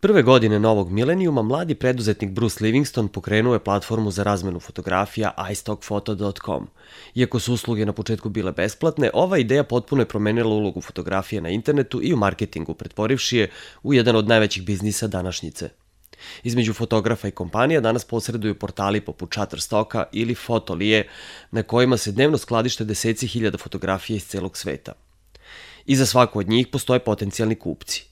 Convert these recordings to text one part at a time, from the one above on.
Prve godine novog milenijuma mladi preduzetnik Bruce Livingston pokrenuo je platformu za razmenu fotografija iStockphoto.com. Iako su usluge na početku bile besplatne, ova ideja potpuno je promenila ulogu fotografije na internetu i u marketingu, pretvorivši je u jedan od najvećih biznisa današnjice. Između fotografa i kompanija danas posreduju portali poput Shutterstocka ili Fotolije, na kojima se dnevno skladište deseci hiljada fotografija iz celog sveta. Iza svaku od njih postoje potencijalni kupci.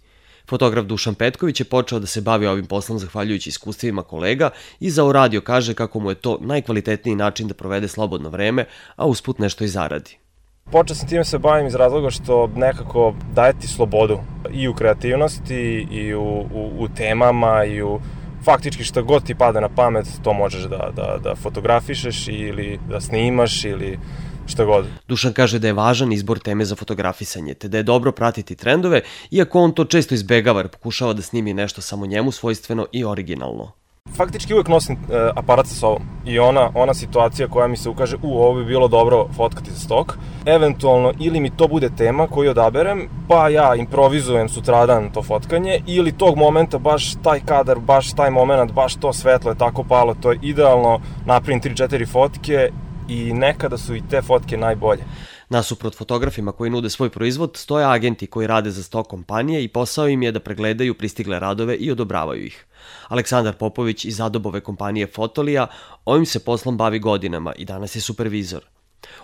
Fotograf Dušan Petković je počeo da se bavi ovim poslom zahvaljujući iskustvima kolega i za radio kaže kako mu je to najkvalitetniji način da provede slobodno vreme, a usput nešto i zaradi. Počeo sam time se bavim iz razloga što nekako daje ti slobodu i u kreativnosti i u temama i u faktički šta god ti pada na pamet, to možeš da fotografišeš ili da snimaš ili šta god. Dušan kaže da je važan izbor teme za fotografisanje, te da je dobro pratiti trendove, iako on to često izbegava jer pokušava da snimi nešto samo njemu svojstveno i originalno. Faktički uvek nosim aparat sa sobom i ona situacija koja mi se ukaže, ovo bi bilo dobro fotkati za stok, eventualno ili mi to bude tema koju odaberem, pa ja improvizujem sutradan to fotkanje, ili tog momenta baš taj kadar, baš taj moment, baš to svetlo je tako palo, to je idealno, napravim 3-4 fotke i nekada su i te fotke najbolje. Nasuprot fotografima koji nude svoj proizvod, stoje agenti koji rade za stok kompanije i posao im je da pregledaju pristigle radove i odobravaju ih. Aleksandar Popović iz Adobove kompanije Fotolija ovim se poslom bavi godinama i danas je supervizor.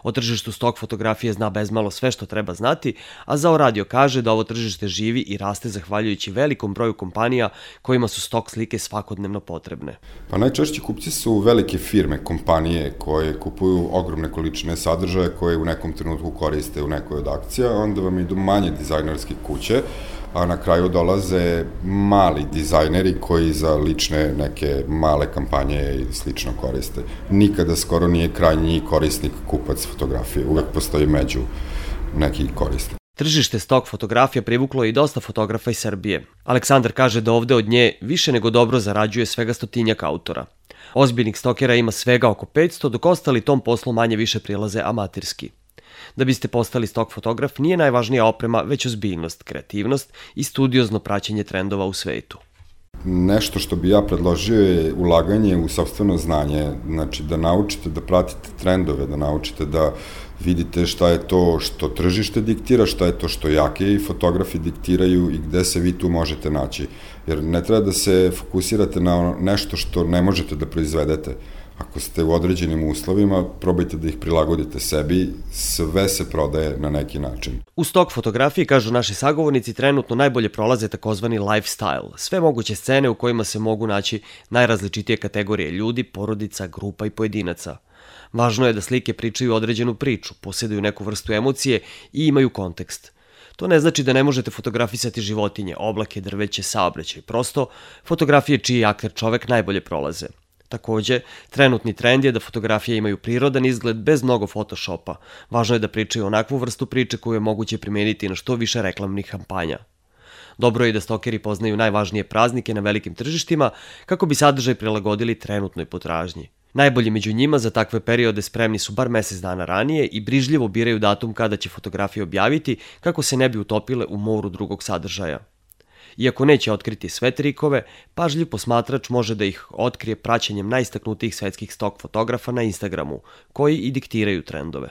O tržištu stok fotografije zna bezmalo sve što treba znati, a za radio kaže da ovo tržište živi i raste zahvaljujući velikom broju kompanija kojima su stok slike svakodnevno potrebne. Pa najčešći kupci su velike firme, kompanije koje kupuju ogromne količine sadržaja koje u nekom trenutku koriste u nekoj od akcija, onda vam idu manje dizajnerske kuće, a na kraju dolaze mali dizajneri koji za lične neke male kampanje i slično koriste. Nikada skoro nije krajnji korisnik kupac fotografije, uvek postoji među neki korisnik. Tržište stok fotografija privuklo je i dosta fotografa iz Srbije. Aleksandar kaže da ovde od nje više nego dobro zarađuje svega 100-tinjak autora. Ozbiljnih stokera ima svega oko 500, dok ostali tom poslu manje više prilaze amaterski. Da biste postali stok fotograf nije najvažnija oprema, već ozbiljnost, kreativnost i studiozno praćenje trendova u svetu. Nešto što bi ja predložio je ulaganje u sopstveno znanje, znači da naučite da pratite trendove, da naučite da vidite šta je to što tržište diktira, šta je to što jaki fotografi diktiraju i gde se vi tu možete naći. Jer ne treba da se fokusirate na nešto što ne možete da proizvedete. Ako ste u određenim uslovima, probajte da ih prilagodite sebi, sve se prodaje na neki način. U stok fotografiji, kažu naši sagovornici, trenutno najbolje prolaze takozvani lifestyle, sve moguće scene u kojima se mogu naći najrazličitije kategorije ljudi, porodica, grupa i pojedinaca. Važno je da slike pričaju određenu priču, posjeduju neku vrstu emocije i imaju kontekst. To ne znači da ne možete fotografisati životinje, oblake, drveće, saobraćaj, prosto fotografije čiji akter čovek najbolje prolaze. Takođe, trenutni trend je da fotografije imaju prirodan izgled bez mnogo photoshopa. Važno je da pričaju onakvu vrstu priče koju je moguće primeniti na što više reklamnih kampanja. Dobro je da stokeri poznaju najvažnije praznike na velikim tržištima kako bi sadržaj prilagodili trenutnoj potražnji. Najbolji među njima za takve periode spremni su bar mesec dana ranije i brižljivo biraju datum kada će fotografije objaviti kako se ne bi utopile u moru drugog sadržaja. Iako neće otkriti sve trikove, pažljiv posmatrač može da ih otkrije praćenjem najistaknutijih svetskih stok fotografa na Instagramu, koji i diktiraju trendove.